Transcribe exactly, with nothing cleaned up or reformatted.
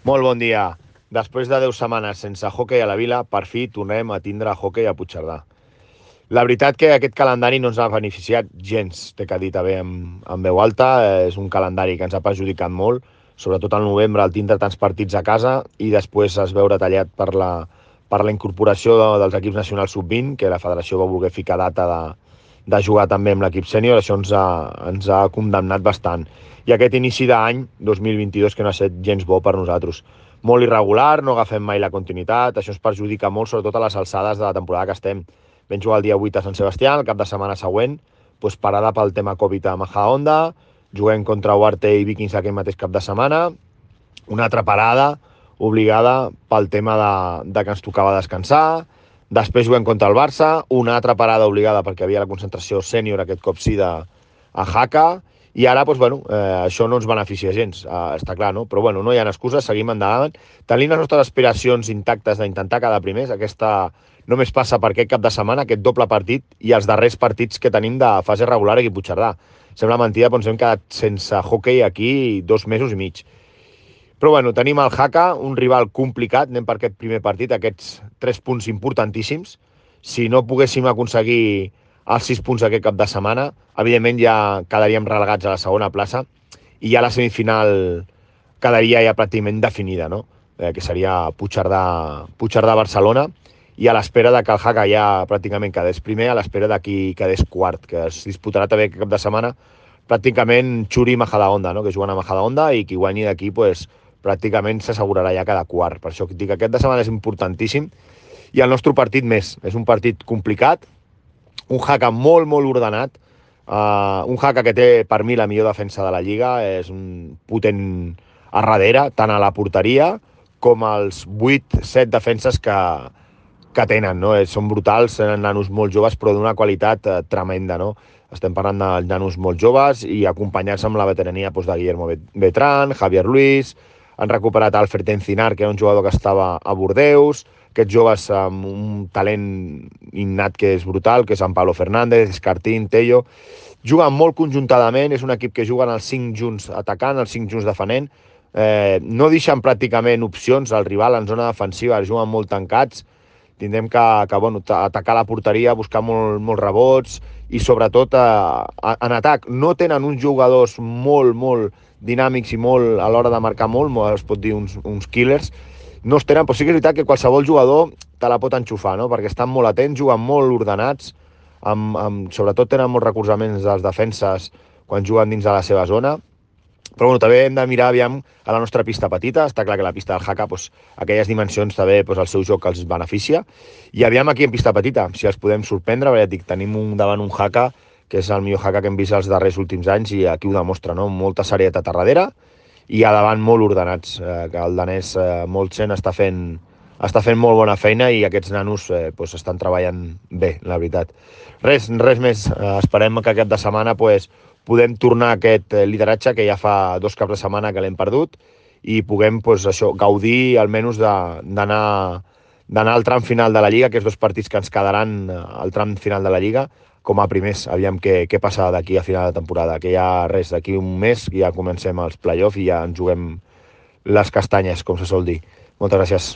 Molt bon dia. Després de deu setmanes sense hoquei a la Vila, per fi tornem a tindre hoquei a Puigcerdà. La veritat que aquest calendari no ens ha beneficiat gens, té que dir també amb, amb veu alta. És un calendari que ens ha perjudicat molt, sobretot al novembre, al tindre tants partits a casa i després es veure tallat per la, per la incorporació de, dels equips nacionals sub vint, que la federació va voler ficar data de, de jugar també amb l'equip sènior. Això ens ha, ens ha condemnat bastant. I aquest inici d'any dos mil vint-i-dos que no ha estat gens bo per nosaltres. Molt irregular, no agafem mai la continuïtat, això ens perjudica molt, sobretot a les alçades de la temporada que estem. Vam jugar el dia vuit a Sant Sebastià, el cap de setmana següent, doncs parada pel tema Covid a Majadahonda, juguem contra Huarte i Vikings aquell mateix cap de setmana, una altra parada obligada pel tema de, de que ens tocava descansar, després juguem contra el Barça, una altra parada obligada perquè havia la concentració sènior, aquest cop sí, de, a Jaca, i ara, doncs, bueno, eh, això no ens beneficia gens, eh, està clar, no? Però bueno, no hi ha excuses, seguim endavant. Tenim les nostres aspiracions intactes d'intentar quedar primers, aquesta només passa per aquest cap de setmana, aquest doble partit, i els darrers partits que tenim de fase regular aquí a Puigcerdà. Sembla mentida, però ens hem quedat sense hoquei aquí dos mesos i mig. Però bueno, tenim el Jaca, un rival complicat, anem per aquest primer partit, aquests tres punts importantíssims. Si no poguéssim aconseguir els sis punts aquest cap de setmana, evidentment ja quedaríem relegats a la segona plaça i ja la semifinal quedaria ja pràcticament definida, no? Eh, que seria Puigcerdà, Puigcerdà-Barcelona, i a l'espera de que el Jaca ja pràcticament quedés primer, a l'espera de qui quedés quart, que es disputarà també aquest cap de setmana, pràcticament Xuri i Majadahonda, no? Que juguen a Majadahonda, i qui guanyi d'aquí, pues, pràcticament s'assegurarà ja cada quart. Per això dic que aquest de setmana és importantíssim, i el nostre partit més. És un partit complicat, un Jaca molt, molt ordenat, uh, un Jaca que té, per mi, la millor defensa de la Lliga, és un potent a darrere, tant a la porteria com als vuit set defenses que, que tenen, no? Són brutals, tenen nanos molt joves, però d'una qualitat eh, tremenda, no? Estem parlant de nanos molt joves i acompanyats amb la veterania doncs, de Guillermo Betrán, Javier Luis, han recuperat Alfred Encinar, que era un jugador que estava a Bordeus, aquests joves amb un talent innat que és brutal, que és en Pablo Fernández, Escartín, Tello. Juguen molt conjuntadament, és un equip que juguen els cinc junts atacant, els cinc junts defenent, eh, no deixen pràcticament opcions al rival en zona defensiva, juguen molt tancats, tindrem que, que bueno, atacar la porteria, buscar molt, molts rebots i sobretot eh, en atac. No tenen uns jugadors molt, molt dinàmics i molt a l'hora de marcar molt, es pot dir uns, uns killers, no es tenen, però sí que és veritat que qualsevol jugador te la pot enxufar, no? Perquè estan molt atents, juguen molt ordenats, amb, amb, sobretot tenen molts recolzaments dels defenses quan juguen dins de la seva zona. Però bueno, també hem de mirar aviam a la nostra pista petita. Està clar que la pista del Jaca, doncs, aquelles dimensions també doncs, el seu joc els beneficia. I aviam aquí en pista petita, si els podem sorprendre, perquè dic, tenim un, davant un Jaca que és el millor Jaca que hem vist els darrers últims anys i aquí ho demostra, no? Molta serietat a darrere i a davant molt ordenats, eh, que el danès eh, Moltsen està fent, està fent molt bona feina i aquests nanos eh, doncs estan treballant bé, la veritat. Res, res més, eh, esperem que aquest de setmana pues, podem tornar a aquest lideratge que ja fa dos caps de setmana que l'hem perdut i puguem pues, això, gaudir almenys d'anar d'anar al tram final de la Lliga, aquests dos partits que ens quedaran al tram final de la Lliga, com a primers, aviam què, què passa d'aquí a final de temporada, que ja res, d'aquí un mes ja comencem els play-offs i ja ens juguem les castanyes, com se sol dir. Moltes gràcies.